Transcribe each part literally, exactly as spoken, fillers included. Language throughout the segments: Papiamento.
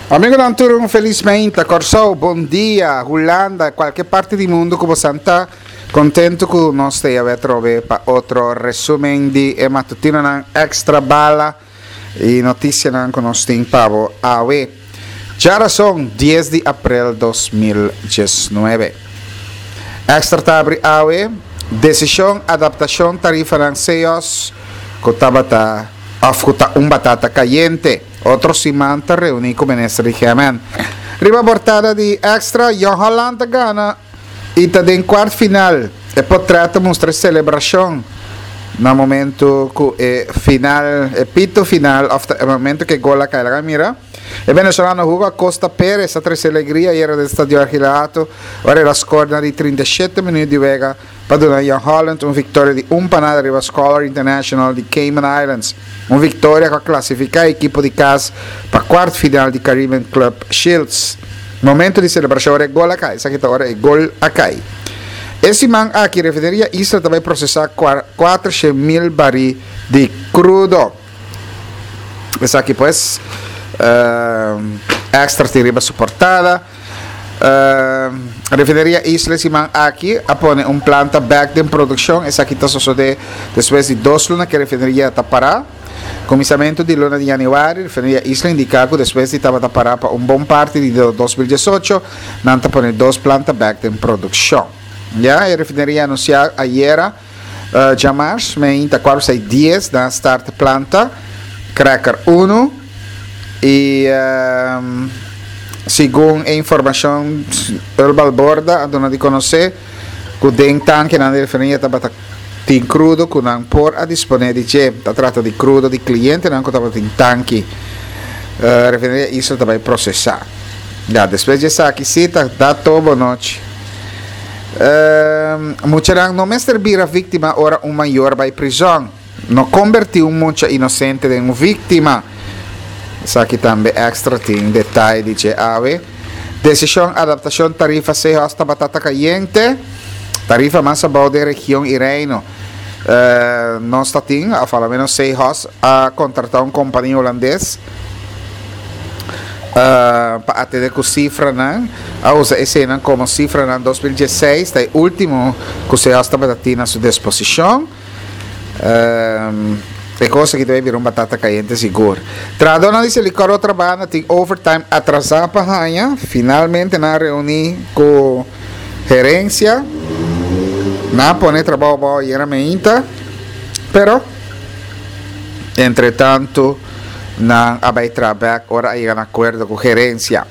Amigonan tur un felis meinta, Kòrsou, bon dia, Hulanda, kualke parti di mundu ku bosan ta, kontentu ku nos ta yawe atrobe pa otro resumen di e matutinonan Extra Bala i notisianan ku nos tin pa bo awe. Djarason, dies di aprel dos mil diesnuebe. Extra ta abri awe, Desishon adaptashon tarifanan Seos ku tabata òf ku ta un batata kayente. Otro siman ta reuní ku minister di G M N. Riba portada di Extra, Jong Holland ta gana i ta den kuart final. E potrèt ta mustra e selebrashon na momentu ku e final, e pito final òf ta e momentu ku e gol a kai. Laga mira, e venezolano Hugo Acosta Perez a trese alegria ayera den Stadio Argilato ora el a skor na di trinta i shete minuut di wega pa duna Jong Holland un victoria di un pa nada riba Scholar International di Cayman Islands. Un victoria cu a clasifica e ekipo di cas pa cuart final di Caribbean Club Shields. Momento di celebracion ora e gol a cay. Esaki ta ora e gol a cay. E siman aki Refineria Isla ta bay procesa cuater mil bari di crudo. Esaki pues Extra tin riba su portada. Refineria Isla e siman aki a pone un planta bek den produkshon. Esaki ta sosodé despues di dos luna ku e refineria ta pará. Kuminsamentu di luna di yanüari, Refineria Isla indiká ku despues di tabata pará pa un bon parti di dos mil diesocho, nan ta pone dos planta bek den produkshon. Ya, e refineria anunsiá ayera djamars meinta kuater sei dies nan a start planta cracker uno i segun e informashon El Balborda a duna di konosé ku den tankenan di refineria tabata tin krudo ku nan por a disponé di dje. Ta trata di krudo di klientenan ku tabatin tanki. Refineria Isla ta bai prosesá. Ya, despues di esaki sí ta da tobo nochi. Muchanan no mester bira víktima ora un mayor bai prizòn. No kombertí un mucha inosente den un víktima. Esaki tambe Extra tin detaye di dje awe. Desishon adaptashon tarifa Seahorse ta batata kayente. Tarifa mas abou den region i Reino. Nos ta tin, òf a lo menos Seahorse a kontratá un kompania hulandes pa atendé ku sifranan. A usa eseinan komo sifranan dos mil diesseis, ta e último ku Seahorse tabata tin na su disposishon. E kos aki ta bai bira un batata kayente sigur. Trahadónan di Selikor otra banda tin overtime atrasá pa haña. Finalmente nan a reuní ku gerensia. Nan a pone trabou abou ayera meinta, pero entretantu nan a bai traha bèk ora a yega na akuerdo ku gerensia.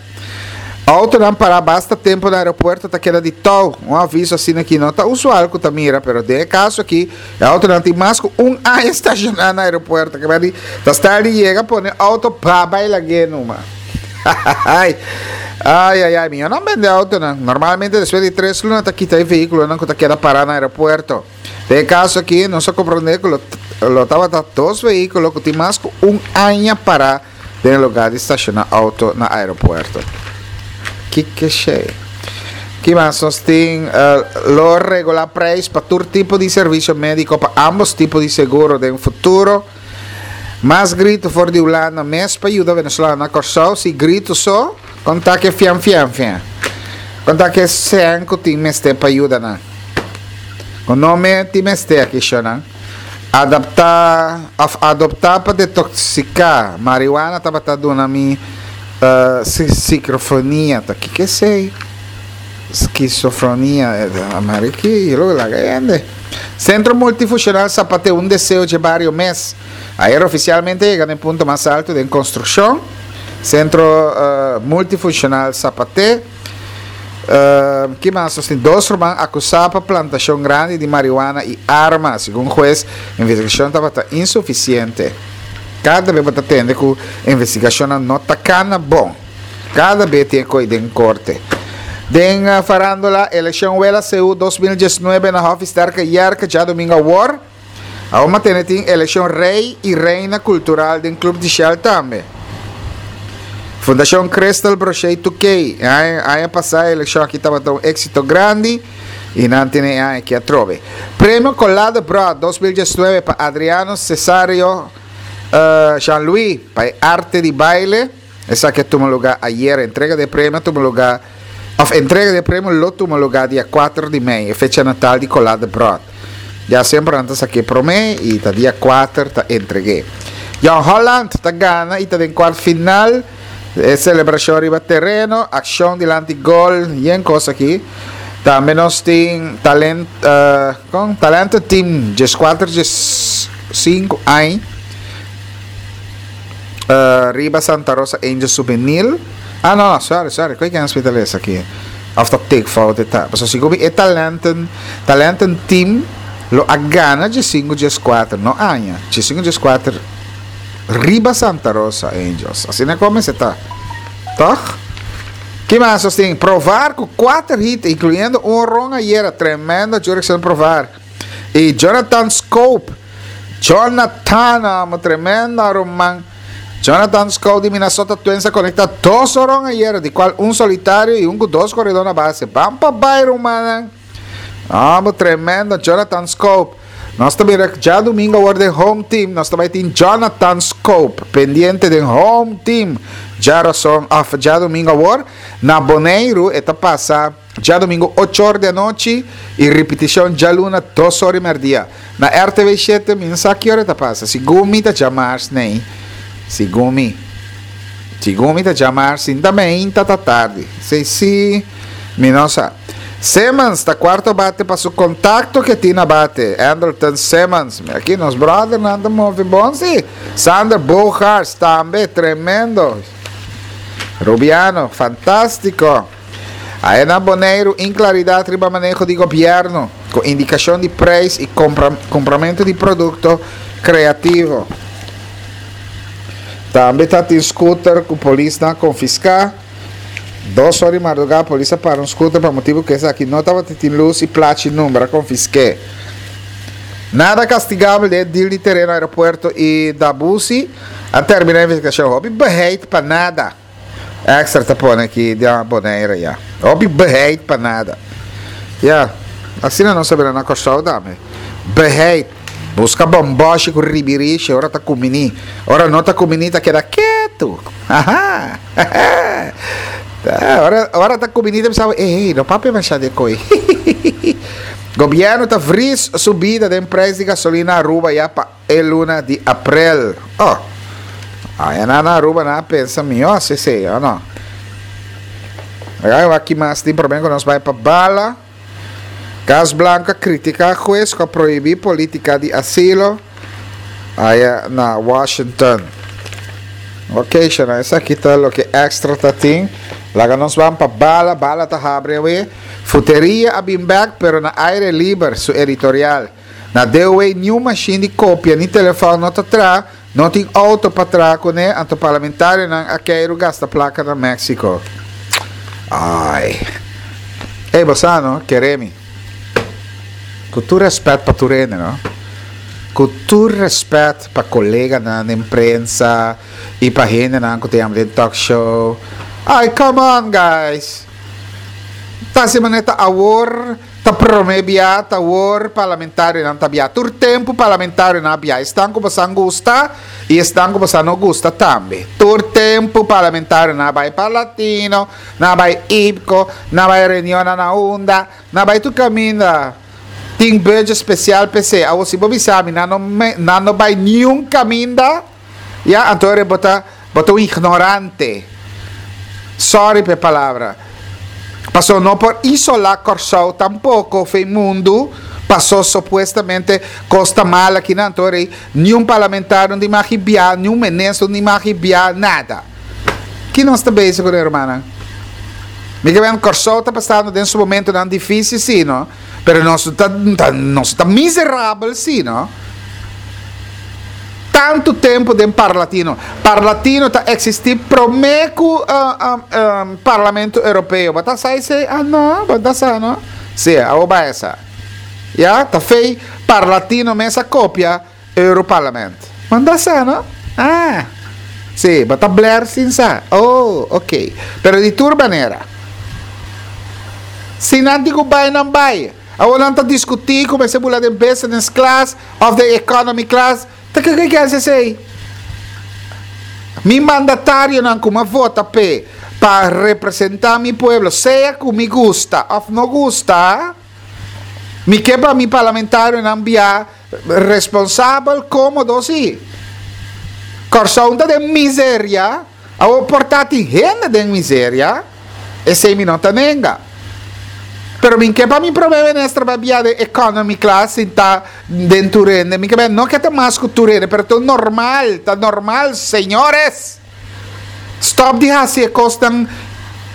Autonan pará basta tempu na aeropuerto ta keda di tou. Un aviso asina aki no ta usual ku ta mira, pero den e kaso aki e autonan tin mas ku un aña stashoná na aeropuerto. Ke medi ta stèl di yega pone auto pa bai lag'é numa. Ai, ai, ai, mihó nan bende autonan. Normalmente despues di tres luna ta kita e vehíkulonan ku ta keda pará na aeropuerto. Den e kaso aki nos a komprondé ku lo tabata dos vehíkulo ku tin mas ku un aña pará den e lugar di stashoná auto na aeropuerto. Kiko shey? Ki mas nos tin? Lo regulá prijs pa tur tipo di servisio médiko pa ambos tipo di seguro den futuro. Mas grito for di Hulanda mes pa yuda Venezolano na Kòrsou. Si grito so, kon ta ke fian fian fian? Kon ta ke sèn ku tin mester pa yuda nan? Kon no me tin mester aki shonan? Adaptá òf adoptá pa detoksiká marihuana tabata duna mi sikrofonia. Ta kiko esei? Skisofronia. Mari ki lo laga hende. Sentro Multifushonal Zapateo un deseo dje bario mes. Ayer ofisialmente a yega na e punto mas alto den konstrukshon. Sentro Multifushonal Zapateo. Ki mas nos tin? Dos ruman akusá pa plantashon grandi di marihuana i arma. Segun hues, investigashon tabata insufisiente. Kada be bo ta tende ku investigashonnan no ta kana bon. Kada be tin e koi den korte. Den farandola, elekshon Wela C U dos mil diesnuebe na Hòfi Sterke Yerke djadumingu awor. Awor matene tin elekshon rei i reina kultural den Club di Shell tambe. Fundashon Crystal Brochet Tukey, e aña pasá e elekshon aki tabata un éksito grandi i nan tene e aña aki atrobe. Premio Colado Broad dos mil diesnuebe pa Adriano Cesario Jean Louis pa e arte di baile. Esaki a tuma lugá ayera. Entrega di premio a tuma lugá, òf entrega di premio lo tuma lugá dia kuater di mei, e fecha natal di Colá Debrot. Ya semper nan ta sak'é promé i ta dia kuater ta entreg'é. Jong Holland ta gana i ta den kuart final. E selebrashon riba tereno, akshon dilanti gol, yen kos aki. Tambe nos tin talent, kon? Talento Team dieskuater diesinku aña riba Santa Rosa Angels Juvenil. Ah no, no, sorry, sorry, koe ken hospital es aki? Of ta take fout e ta? Pasobra sigur mi e talenten, talenten team lo a gana diesinku dieskuater, no aña, diesinku dieskuater riba Santa Rosa Angels. Asina kon mester ta, tòg? Ki mas nos tin? Provar ku kuater hit, inkluyendo un horon ayera. Tremendo Jurickson Provar. I Jonathan Schoop. Jonathan, amo, tremendo ruman. Jonathan Schoop di Minnesota Twins a konektá dos horon ayera, di kual un solitario i un ku dos koredó na base. Ban pa bai, rumannan. Amo, tremendo Jonathan Schoop. Nos ta mira djadumingo awor den home team. Nos ta bai tin Jonathan Schoop pendiente den home team djarason of djadumingo awor na Boneiru. E ta pasa djadumingo ocho or di anochi i ripitishon djaluna dos or i merdia. Na R T V shete mi no sa ki ora e ta pasa. Segun mi ta djamars nei. Segun mi. Segun mi ta djamars sinta meinta ta tardi. Si si mi no sa. Simmons ta cuarto bate pa su contacto ke tin na bate. Andrelton Simmons. Mira aki nos brothernan ta move bon si. Xander Bogaerts tambe tremendo. Rubiano fantastico. Aya na Boneiru inclaridad riba maneho di gobierno cu indicacion di prijs y compra, cumpramento di producto creativo. Tambe ta tin scooter cu polisnan a confisca. Dos ora di mardugá polis a para un scooter pa motibu ku esaki no tabata tin lus i plachi number, a konfisk'é. Nada kastigabel den e deal di tereno aeropuerto i Dabusi a terminá investigashon. Hopi beheit pa nada. Extra ta pone aki di Bonaire ya. Hopi beheit pa nada. Ya, asina nos a bira na Kòrsou tambe. Beheit. Buska bòmbòshi ku ribirishi ora ta kuminí. Ora no ta kuminí ta keda ketu. Aha! Ora, ora ta kuminí ta bisa, ey, no papia mashá di e koi. Gobièrnu ta vris subida den preis di gasolina Aruba ya pa e luna di aprel. Oh, aya nan na Aruba nan a pensa mihó hasi esei, o no? Laga wak ki mas tin promé ku nos bai pa bala. Cas Blanco a critica hues cu a prohibi politica di asilo aya na Washington. Ok, shana, esaki ta loke Extra ta tin. Laga nos ban pa Bala. Bala ta habri awe. Futeria a bin bek, pero na aire liber, su editorial. Na D O A niun mashin di copia ni telefon no ta tra. No tin auto pa traha kuné, anto parlamentarionan a keiru gasta plaka na Mexico. Ai. Ey, bo sa no, kere mi. Ku tur rèspèt pa tur hende, no. Ku tur rèspèt pa koleganan den prensa i pa hendenan ku ta yama den talk show. Ai, come on, guys! Ta hasi manera ta awor. Ta prome bia ta awor parlamentarionan ta bia. Tur tempu parlamentarionan a bia. Esnan ku bosan gusta i esnan ku bosan no gusta tambe. Tur tempu parlamentarionan a bai Parlatino, nan a bai IPKO, nan a bai reunionnan na unda, nan a bai tur kaminda. Tin budget spesial p'esei. Awor si bo bisa mi nan no nan no bai niun kaminda, ya, anto ora bo ta bo ta un ignorante. Sorry p'e palabra. Paso no por isolá Kòrsou tampoko fei mundu paso supuestamente kos ta mal akinan. Anto rei niun parlamentario no tin magi bia, niun minister no tin magi bia, nada. Ki nos ta bezig ku rumannan? Mi ke ben Kòrsou ta pasando den su momentonan difísil sí no, pero nos ta nos ta miserabel sí no. Tantu tempu den Parlatino. Parlatino ta eksistí promé ku Parlamento Europeo. Bo ta sa esei? Ah no, bo ta sa no. Sí, awor bai a sa. Ya, ta fei Parlatino mes a kopia Europarlament. Bo no ta sa no? Ah, sí, bo ta bler sin sa. Oh, ok. Pero di tur manera, si nan tin ku bai, nan bai. Awor nan ta diskutí ku mester bula den business class òf den economy class. Ta kiko ke hasi esei? Mi mandatarionan ku m'a vota p'e pa representá mi pueblo, sea ku mi gusta òf no gusta, mi ke pa mi parlamentarionan biaha responsabel, kómodo sí. Kòrsou ta den miseria, awor por ta tin hende den miseria, esei mi no ta nenga. Pero mi ke pa mi promé minister bai biaha den economy class sintá den tur hende. Mi ke bai no ke ta mas ku tur hende, pero ta normal, ta normal, señores. Stop di hasi e kosnan.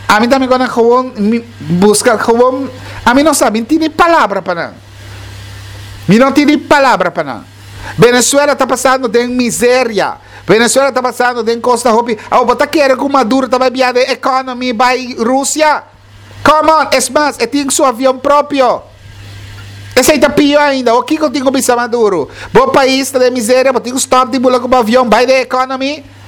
Ami ta mi gonna gewoon mi buska gewoon, ami no sa, mi tin ni palabra pa nan. Mi no tin ni palabra pa nan. Venezuela ta pasando den miseria. Venezuela ta pasando den kosnan hopi. Awor bo ta kere ku Maduro ta bai biaha den economy bai Rusia? Come on, es mas, e tin su avion propio. Esei ta pio ainda. O kiko tin ku bisa Maduro? Bo pais ta den miseria, bo tin ku stop di bula ku bo avion bai den economy?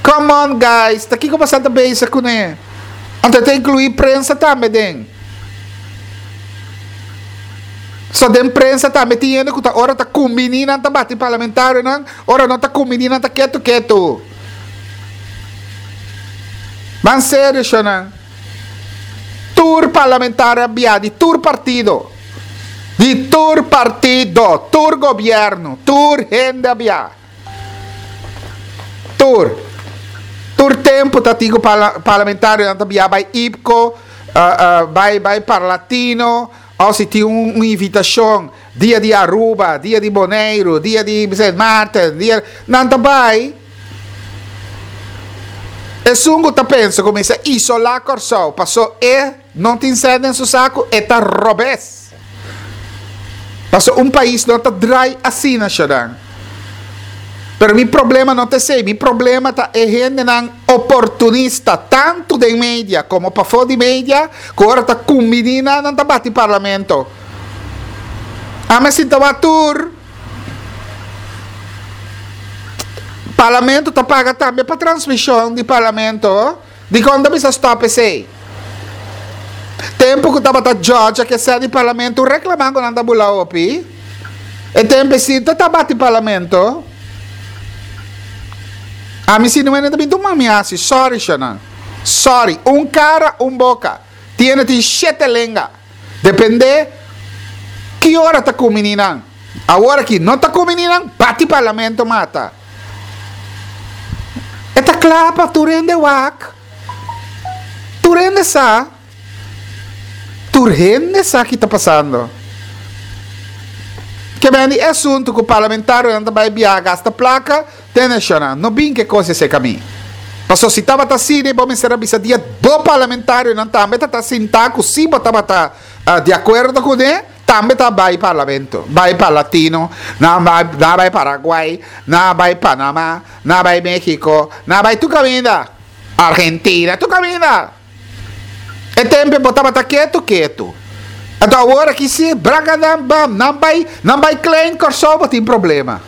Come on guys, ta kiko boso ta bezig kuné? Anto e ta inkluí prensa tambe den. So den prensa tambe tin hende ku ta ora ta kumbiní nan ta bati parlamentarionan, ora no ta kumbiní nan ta ketu ketu. Ban serio shownan. Tur parlamentario a bia di tur partido. Di tur partido, tur gobièrnu, tur hende a bia. Tur. Tur tempu ta tin ku parlamentarionan ta bia bai IPKO, bai bai Parlatino, òf si tin un invitashon dia di Aruba, dia di Boneiru, dia di Sint Maarten, dia, nan ta bai. Esun ku ta pensa ku mester isolá Kòrsou paso e no tin sèn den su saku, e ta robes. Paso un pais no ta drai asina, Shadan. Pero mi problema no ta esei, mi problema ta e hendenan oportunista, tantu den media komo pafó di media, ku ora ta kumbiní nan, nan ta bati parlamento. Ami a sinta wak tur. Parlamento ta paga tambe pa transmishon di parlamento. Dikon ta bisa stop esei? Tempu ku tabata George a ke sè di parlamento reklamá ku nan ta bula hopi. E tempu esei ta tabati parlamento. Ami si no ta bin tuma mi hasi. Sorry shownan. Sorry. Un kara, un boka. Tiene tin shete lenga. Depende ki ora ta kumini nan. Awor aki no ta kumini nan, bati parlamento mata. E ta kla pa tur hende wak. Tur hende sa. Tur hende sa ki ta pasando. Ke ben di e asuntu ku parlamentarionan ta bai biaha gasta plaka, te nashonal. No bin ke kos esei ka mi. Paso si tabata asina bo mester a bisa dia bo parlamentarionan tambe ta ta sinta ku si bo tabata di akuerdo kuné, tambe ta bai parlamento, bai Parlatino, nan bai nan bai Paraguay, nan bai Panama, nan bai Mexico, nan bai tur kaminda, Argentina, tur kaminda. E tempe bo tabata ketu ketu. Anto awor aki si bragadam bam, nan bai nan bai klein Kòrsou bo tin problema.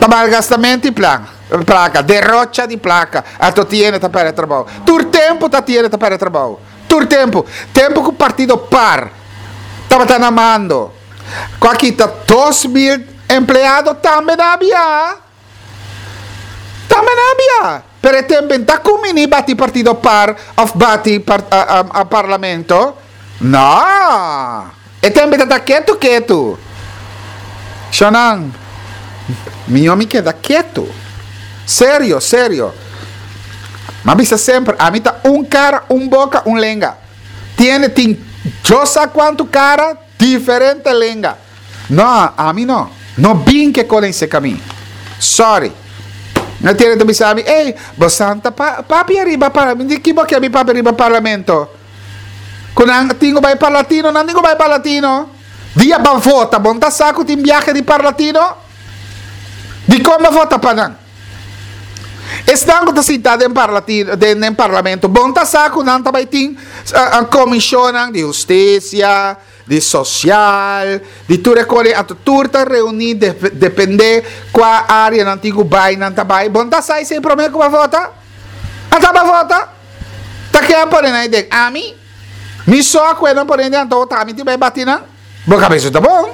Ta malgastamento di plan, plaka, derocha di plaka, anto tiene ta pèrdè trabou. Tur tempu ta tiene ta pèrdè trabou. Tur tempu. Tempu ku partido par tabata na mando, ku a kita dos mil empleado tambe nan a bia. Tambe nan a bia. Pero e tempu ta kumini bati partido par òf bati parlamento. No! E tempu ta ta ketu ketu. Shonnan, mihó mi keda ketu. Serio, serio. M'a bisa semper, ami ta un kara, un boka, un lenga. Tiende tin yo sa kuantu kara, diferente lenga. No, ami no. No bin ke kolen seka mi. Sorry. No tiende ta bisa mi, ey, bo santa pa papia riba par, mi di ki bo ke mi papia riba parlamento? Ku nan tin ku bai Parlatino, nan tin ku bai Parlatino. Dia ban vota, bon ta sa ku tin biahe di Parlatino? Dikon bo vota pa nan? Esnan ku ta sintá den Parlatino, den den parlamento, bon ta sa ku nan ta bai tin komishonnan di hustisia, di sosial, di tur e kos ei, anto tur ta reuní dependé kua área nan tin ku bai, nan ta bai. Bon ta sa esei promé ku bo vota? Ata bo vota? Ta ke a pone nan ei den? Ami? Mi so a kue nan pone den anto ta ami tin bai bati nan? Bo kabesu ta bon.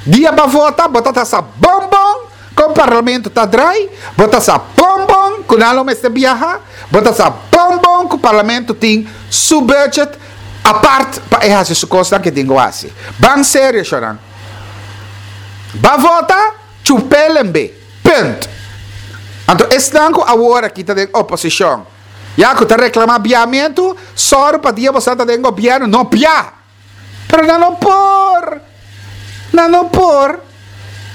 Dia bo vota, bo ta ta sa bon bon Kon parlamento ta drai, bo ta sa bon bon ku nan lo mester biaha, bo ta sa bon bon ku parlamento tin su budget apart pa e hasi su kosnan ku e tin ku hasi. Ban serio, shonnan. Ba vota, chupelembe. Punt. Anto esnan ku awor aki ta den oposishon, ya ku ta reklamá biahamentu, sòru pa dia boso ta den gobièrnu no biaha. Pero nan no por. Nan no por.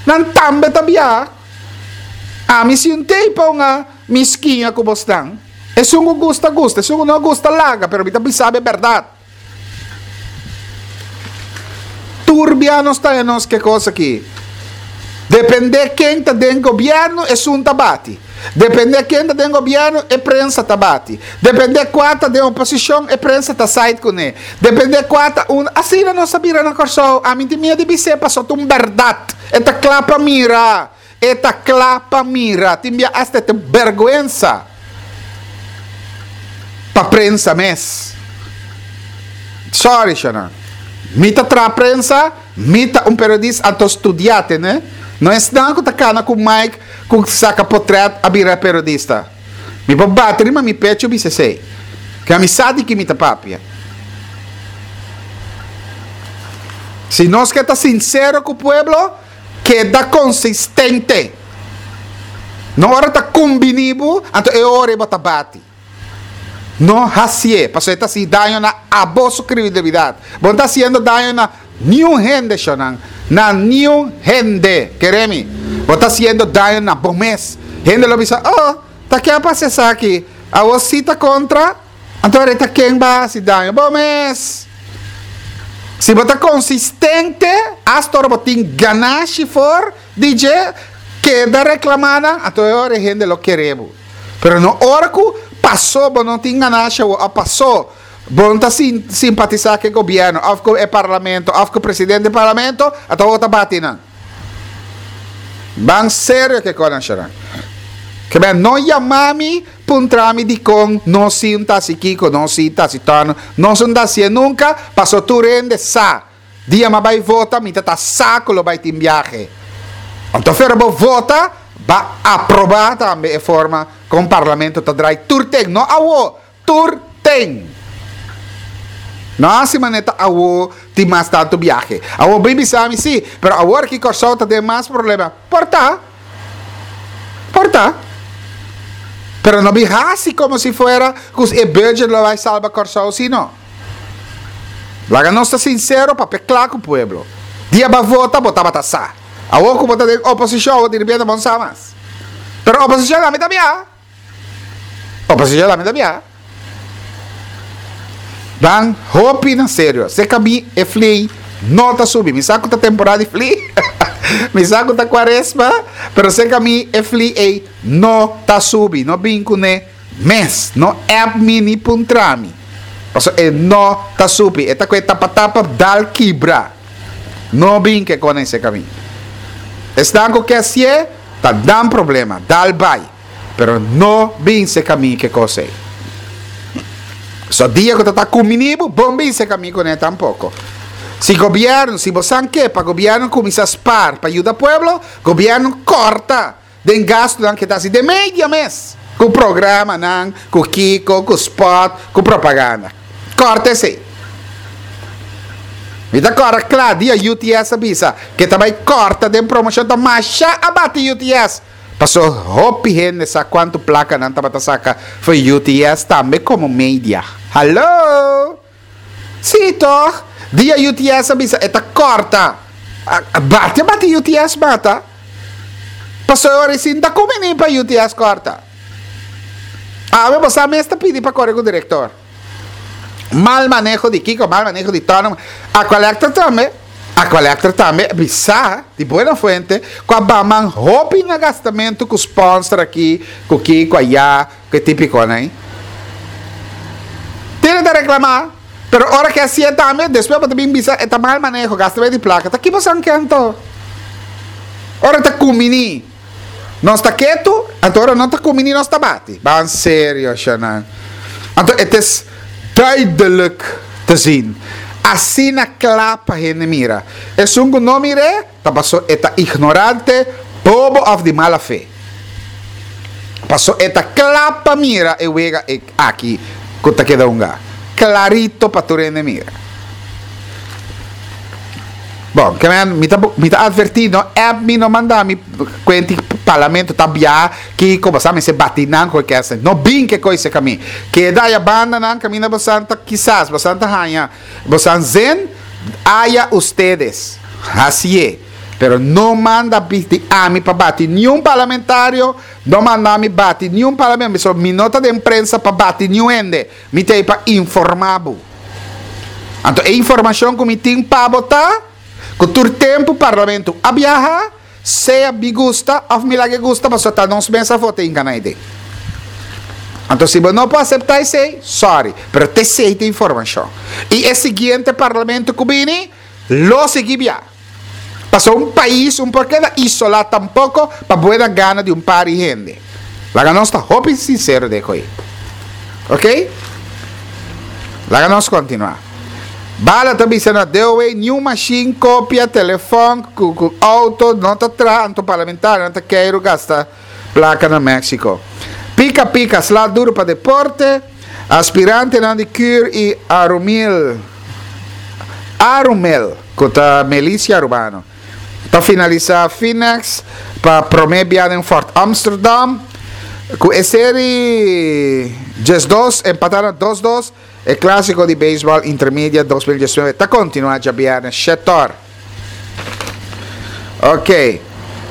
Nan tambe ta biaha. Ami si un tei pa un a miskiña ku bosnan. Esun ku gusta gusta, esun ku no gusta laga, pero mi ta bisa bo e bèrdat. Tur bia nos ta nos ke kos aki. Depende ken ta den gobièrnu, esun ta bati. Depende ken ta den gobièrnu, e prensa ta bati. Depende kua ta den oposishon, e prensa ta side kuné. Depende kua ta un. Asina nos a bira na Kòrsou. Ami tin miedu di bis'é pasobra ta un bèrdat. E ta kla pa mira. E ta kla pa mira. Tin bia asta e ta bèrgwensa pa prensa mes. Sorry, shonnan. Mi ta traha prensa, mi ta un periodista, anto studiá, tende? No esnan ku ta kana ku mic ku saka potrèt a bira periodista. Mi por bati riba mi pecho bisa esei. Ke ami sa di ki mi ta papia. Si nos ke ta sinsero ku pueblo, keda konsistente. No ora ta kumbiní bo, anto e ora ei bo ta bati. No hasié, pasobra e ta hasi daño na abo su credibilidad. Bo no ta hasiendo daño na niun hende, shonnan, na niun hende. Kere mi, bo ta hasiendo daño na bo mes. Hende lo bisa, Oh, ta ke a pasa esaki? Awor si ta kontra, anto e ta ken bo a hasi daño? Bo mes! Si bo ta konsistente, asta ora bo tin ganashi for di dje, keda reklamá nan, anto e ora e hende lo kere bo. Pero no ora ku pasó bo no tin ganashi awor òf pasó bo no ta simpatisá ku e gobièrnu òf ku e parlamento òf ku presidente di parlamento, anto awor ta bati nan. Ban serio ku e kosnan shornan. Ke men no yama mi puntra mi dikon no si un ta hasi kiko, no si ta hasi tòno, nos no ta hasié nunka, pasó tur hende sa. Dia m'a bai vota mi ta ta sa ku lo bai tin biahe. Anto fera bo vota ba aprobá tambe e forma kon parlamento ta drai tur ten, no awo, tur ten. No hasi manera ta awo tin mas tantu biahe. Awo bin bisa mi si, pero awor ki Kòrsou ta den mas problema. Por ta. Por ta. Pero no bin hasi komo si fuera ku e budget lo bai salba Kòrsou si no. Laga nos ta sinsero papia kla ku pueblo. Dia bo a vota bo tabata sa. Awor ku bo ta den oposishon awor diripiente bo no sa mas. Pero oposishon tambe ta bia. Oposishon tambe ta bia. Dan hopi na serio. Se kabi e fli no ta subi. Mi sa ku ta temporada di fli. Mi sa ku ta kuaresma. Pero se kabi e fli ei no ta subi. No bin kuné. Mes, no app mi ni puntra mi. Pasobra e no ta supi. E ta ku e tapa tapa dal kibra. No bin ke kone ese kamin. Esnan ku ke hasié ta nan problema, dal bai. Pero no bin se kamin ke kos ei. So dia ku ta ta kumini bo, bon bin se kamin kuné tampoko. Si gobièrnu, si bo san ke pa gobièrnu kuminsá spar pa yuda pueblo, gobièrnu kòrta. Den gastunan ke ta hasi den media mes, ku programanan, ku kiko, ku spot, ku propaganda. Kòrta esei. Mi ta kòrda kla dia U T S a bisa ke ta bai kòrta den promoshon ta masha a bati U T S. Paso hopi hende sa kuantu plaka nan tabata saka for U T S tambe komo media. Hallo! Sí tòg? Dia U T S a bisa e ta kòrta. Bati a bati U T S mata. Pasobra e ora ei sin ta kumini pa U T S kòrta. Awe bo sa mes ta pidi pa kore ku direktor. Mal maneho di kiko, mal maneho di tònò. Aqualectra tambe, Aqualectra tambe bisa di buena fuente ku a baman hopi na gastamentu ku sponsor aki, ku kiko ayá. Ku e típikonan ei. Tene ta reklamá, pero ora ke hasié tambe, despues bo ta bin bisa e ta mal maneho, gasta bay di plaka. Ta ki bo san ke anto? Ora ta kumbiní, nos ta ketu, anto ora no ta kumbiní nos ta bati. Ban serio, shanan. Anto e tes duidelijk te zien. Asina kla pa hende mira. Esun ku no mir'é, ta paso e ta ignorante. Bobo òf di mala fe. Paso e ta kla pa mira e wega aki ku ta keda hunga. Klarito pa tur hende mira. Bon, ke men, mi ta, mi ta advertí, no app mi, no manda mi kuenti parlamento ta bia kiko, bosa mester bati nan ku e kèsnan. No bin ke koi serka mi. Keda aya banda nan kaminda bosan ta kisas, bosan ta haña, bosan zen, aya ustedes. Hasié. Pero no manda bisti ami pa bati niun parlamentario, no manda mi bati niun parlamentario, pasobra mi no ta den prensa pa bati niun hende, mi ta ei pa informa bo. Anto e informacion cu mi tin pa bo ta cu tur tempo parlamento a biaha, sea mi gusta of mi laga e gusta, pasobra ta nos mes a vota hinca na e den. Anto si bo no por acepta esey, sorry, pero t'esey ta informacion. Y e siguiente parlamento cu bini lo sigui bia. Pasobra un pais un por keda isolá tampoko pa buena gana di un par di hende. Laga nos ta hopi sinsero den koe. Ok? Laga nos kontinuá. Bala ta bisa na D O W niun mashin, kopia, telefòn ku ku outo no ta traha anto parlamentarionan ta keiru gasta plaka na Mexico. Pika pika sla duru pa deporte, aspirantenan di Cur i Arumil. Arumel, ku ta milisia arubano, ta finalisá Finex pa promé bia den Fort Amsterdam. Ku e seri diesdos empatá na dos dos, e klásiko di beisbòl Intermedia dos mil diesnuebe ta kontinuá djabièrnè shètòr. Ok.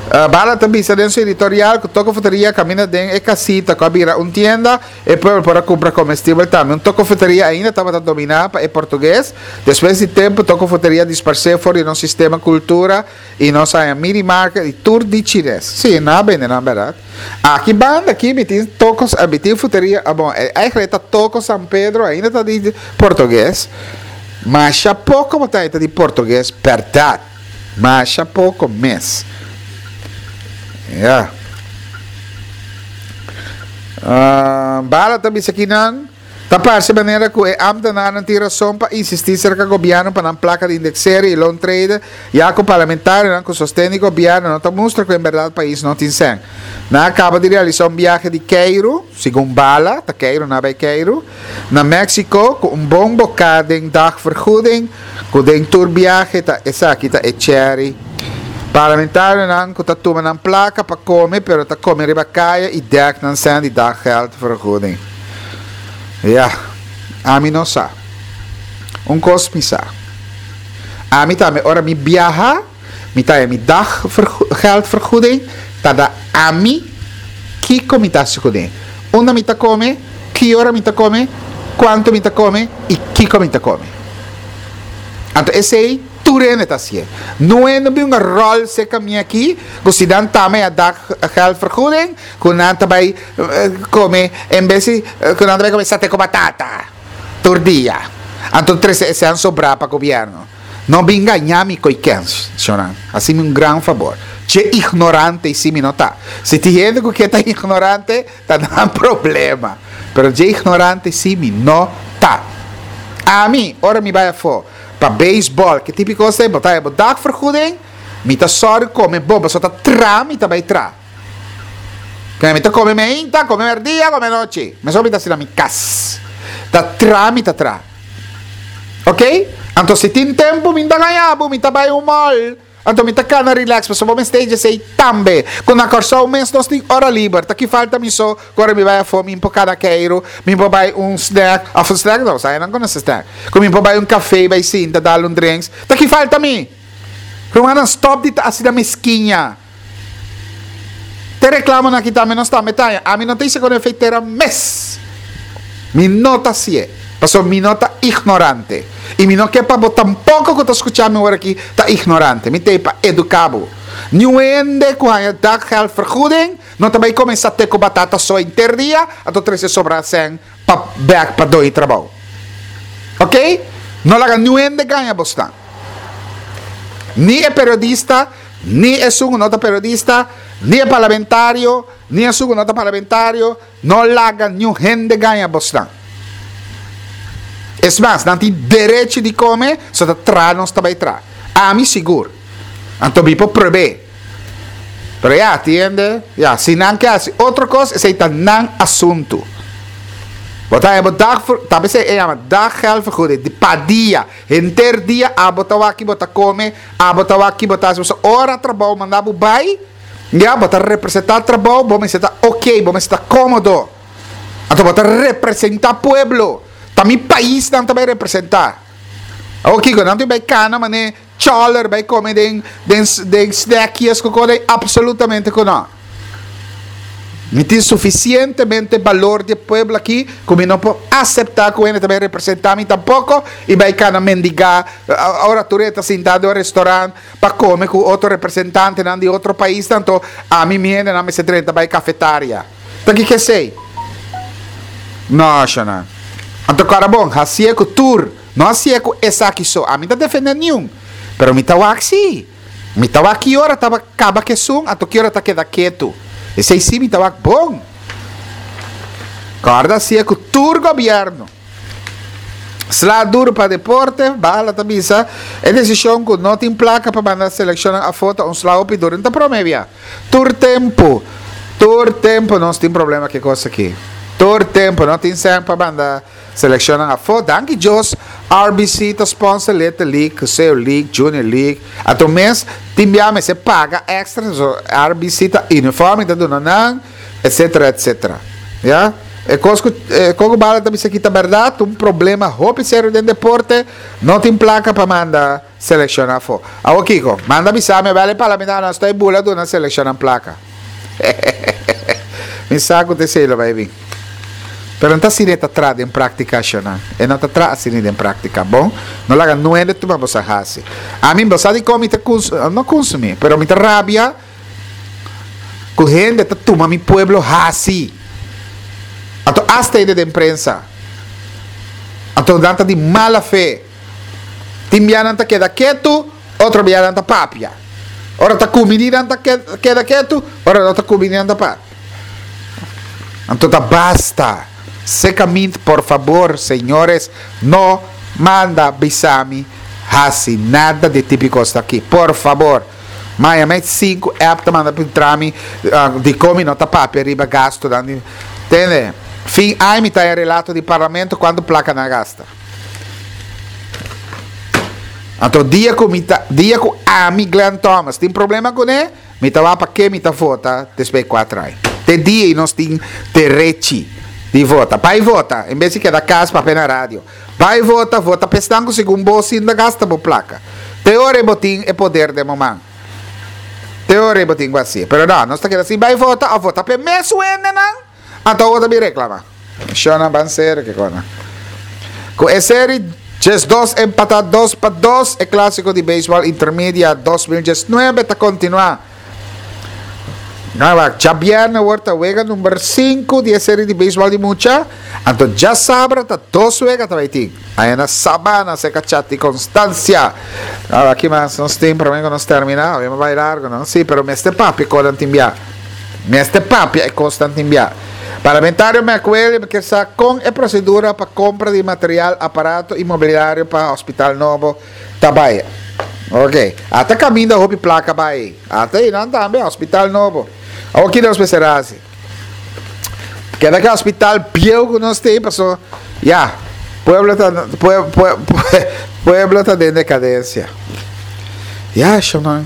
Bala ta bisa den su editorial ku Toko Fruteria kaminda den e kasita ku a bira un tienda, e pueblo por a kumpra komestibel tambe. Un Toko Fruteria ainda tabata dominá pa e portugues. Despues di tempu Toko Fruteria a disparsé for di nos sistema kultura i nos haña mini market i tur di chines. Sí, nan a bende nan bèrdat. Aki banda aki mi tin Toko, mi tin fruteria, bon, eigenlijk ta Toko San Pedro ainda ta di portugues. Masha poko bo ta haña ta di portugues bèrdat. Masha poko mes. Ya. Uh, Bala ta bisa kinan, ta parse manera ku e ambtenarnan tin rason pa insistí serka gobièrnu pa nan plaka di indexering i loontrede, ya ku parlamentarionan ku sosten di gobièrnu no ta mustra ku en bèrdat pais no tin sèn. Nan a kaba di realisá un biahe di keiru, segun Bala, ta keiru nan a bai keiru, na Mexico ku un bon boká den dagvergoeding, Ku den tur biahe ta esaki ta e cherry. Parlamentarionan ku ta tuma nan plaka pa kome pero ta kome riba kaya i dèk nan sèn di daggeldvergoeding. Ya, ami no sa. Un kos mi sa. Ami tambe ora mi biaha mi ta haña mi daggeldvergoeding ta da ami kiko mi ta hasi kuné. Unda mi ta kome, ki ora mi ta kome, kuantu mi ta kome i kiko mi ta kome. Anto esei tur hende ta hasié. No hende bin un ròl serka mi aki ku si nan tama e a daggeldvergoeding ku nan ta bai kome en bes di ku nan ta bai kome sate ku batata tur dia. Anto trese esei sobrá pa gobièrnu. No bin gañá mi ko'i kens, shonnan. Hasi mi un gran fabor. Che ignorante i si mi no ta. Si tin hende ku ke ta ignorante, ta nan problema. Pero dje ignorante si mi no ta. Ami, ora mi bai afó pa beisbòl, ke tipo kos ei, bo ta haña bo dagvergoeding, mi ta sòru kome bon, pasobra ta tra mi ta bai tra. Kende mi ta kome meinta, kome mèrdia, kome nochi. Mesora mi ta hasi na mi kas. Ta tra mi ta tra. Ok? Anto si tin tempu mi ta gaña bo, mi ta bai un mall. Anto mi ta kana relax pasobra bo mester esei tambe. Ku na Kòrsou mes nos tin ora liber. Ta ki falta mi so ku ora mi bai afó mi por kana keiru, mi por bai un snack, òf un snack no, sa nan konosé snack. Ku mi por bai un kafé bai sinta dal un drinks. Ta ki falta mi? Rumannan stòp di ta asina meskiña. Te reclamonan aki tambe nos tambe ta haña. Ami no ta hisa con efeitera mes. Mi no ta hacié. Pasobra mi no ta ignorante. Y mi no ke pa bo tampoco cu ta scucha mi ora aki ta ignorante. Mi ta ei pa educa bo. Niun hende cu haña daggeldvergoeding no ta bay come sate cu batata so henter dia, anto trece sobra cen pa bek pa doy trabou. Ok? No laga niun hende gaña bosnan. Ni e periodista. Ni esun ku no ta periodista, ni e parlamentario, ni esun ku no ta parlamentario, no laga niun hende gaña bosnan. Es mas, nan tin derechi di kome, so ta traha nos ta bai traha. Ami sigur. Anto mi por prob'é. Pero ya, tiende, ya, si nan ke hasi otro kos, esei ta nan asuntu. Bo ta bo dag, ta bes e yama daggeldvergoeding, di pa dia, henter dia abo ta wak ki bo ta kome, abo ta wak ki bo ta hasi, ora trabou manda bo bai, ya, bo ta representá trabou, bo mester ta ok, bo mester ta kómodo. Anto bo ta representá pueblo, ta mi pais nan ta bai representá. Awor kiko, nan tin bai kana manera choler bai kome den den den snackjes ku kos ei? Absolutamente ku no. Mi tin sufisientemente balor di e pueblo aki ku mi no por aseptá ku hende ta bai representá mi tampoko i bai kana mendigá ora tur e ta sintá den un restorant pa kome ku otro representantenan di otro paisnan anto ami mi hendenan mester drenta bai kafetaria. Ta kiko esei? No, shona. Anto kòrda bon, hasié ku tur, no hasié ku esaki so. Ami ta defendé niun, pero mi ta wak sí. Mi ta wak ki ora ta kaba ku esun, anto ki ora ta keda ketu. Esei sí mi ta wak bon. Kòrda hasié ku tur gobièrnu. Sla duru pa deporte, Bala ta bisa, e desishon ku no tin plaka pa manda selekshonnan afó ta un sla hopi duru. N ta prome bia. Tur tempu, tur tempu nos tin problema ku e kos aki. Tur tempu no tin sèn pa manda selekshonnan afó. Danki Dios R B C ta sponsor Little League, Cuseo League, Junior League. Anto mes tin bia mester paga extra, so R B C ta uniforme ta duna nan, etcetera, etcetera. Ya? E kos ku e koko Bala ta bisa aki ta bèrdat, un problema hopi serio den deporte, no tin plaka pa manda selekshon afó. Awor kiko? Manda bisa mi, bèl e parlamentario nan stoi bula duna selekshonnan plaka. Mi sa ku ta esei lo bai bin. Pero no ta asina e ta traha den práktika, shonnan. E no ta traha asina den práktika. Bon, no laga nuende tuma boso hasi. Ami, bo sa dikon mi ta kuns, no kunsumí, pero mi ta rabia ku hende ta tuma mi pueblo hasi. Anto asta hende den prensa. Anto nan ta di mala fe. Tin bia nan ta keda ketu, otro bia nan ta papia. Ora ta kumini nan ta keda ketu, ora no ta kumini nan ta papia. Anto ta basta. Secamint, por fabor, señores, no manda bisami hasi nada di tipo kos aki. Por fabor. Maya met sinku app ta manda pintra mi dikon mi no ta papia riba gastunan di tende. Fin aña mi ta haña relato di parlamento kuantu plaka nan a gasta. Anto dia ku mi ta dia ku ami Glenn Thomas tin problema kuné mi ta wak pa ke mi ta vota despues di kuater aña. Te dia ei nos tin derechi di vota. Bai vota en bes di keda kas papia na radio. Bai vota, vota pa esnan ku segun bo sin ta gasta bo plaka. Te ora ei bo tin e poder den bo man. Te ora ei bo tin ku hasié. Pero no, nos ta keda sin bai vota òf vota pa e mes wendenan, anto awor ta bin reklamá. Shona ban seri ke kona. Ku e seri diesdos empatá dos pa dos, e klásiko di beisbòl intermedia dos mil diesnuebe ta kontinuá. Wak, djabièrnè awor ta wega number sinku di e seri di beisbòl di mucha, anto djasabra ta dos wega ta bai tin. Aya na Sabana serka Chati Constancia. Wak, ki mas nos tin promé ku nos terminá? Awe mi bai largu, no? Sí, pero mester papia kos tin bia. Mester papia e kosnan tin bia. Parlamentario McWilliam kier sa kon e prosedura pa kompra di material, aparato i mobiliario pa hospital nobo ta bai. Ok. Ata kaminda hopi plaka bai. Ata einan tambe hospital nobo. Awor ki nos mester hasi? Keda ke hospital bieu ku nos tin paso ya pueblo ta pueblo ta den dekadensia. Ya shonnan.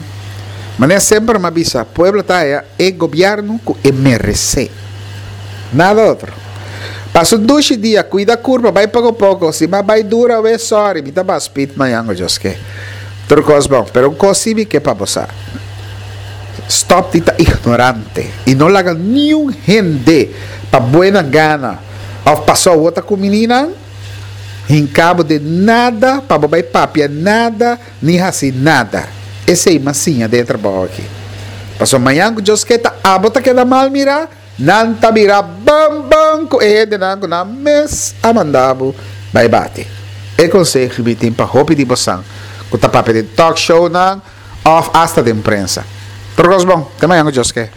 Manera semper mi a bisa pueblo ta haya e gobierno ku e meresé. Nada otro. Pasa un dushi dia, cuida curpa, bai poco poco. Si ma bai dura we, sorry, mi ta ba speed mañan go Dios ke. Tur cos bon, pero un cos si mi ke pa bo sa. Stop di ta ignorante y no laga niun hende pa buena gana of paso awor ta cu mininan hinca bo den nada pa bo bai papia nada ni haci nada. Esey m'a siña den e trabao aki. Pasobra mañan cu Dios ke ta abo ta keda mal mira. Nan ta bira ban ban ku e hendenan ku nan mes a manda bo bai bati. E konseho mi tin pa hopi di bosan ku ta papia den talk shownan òf asta den prensa. Tur kos bon. Te mañan ku Dios ke.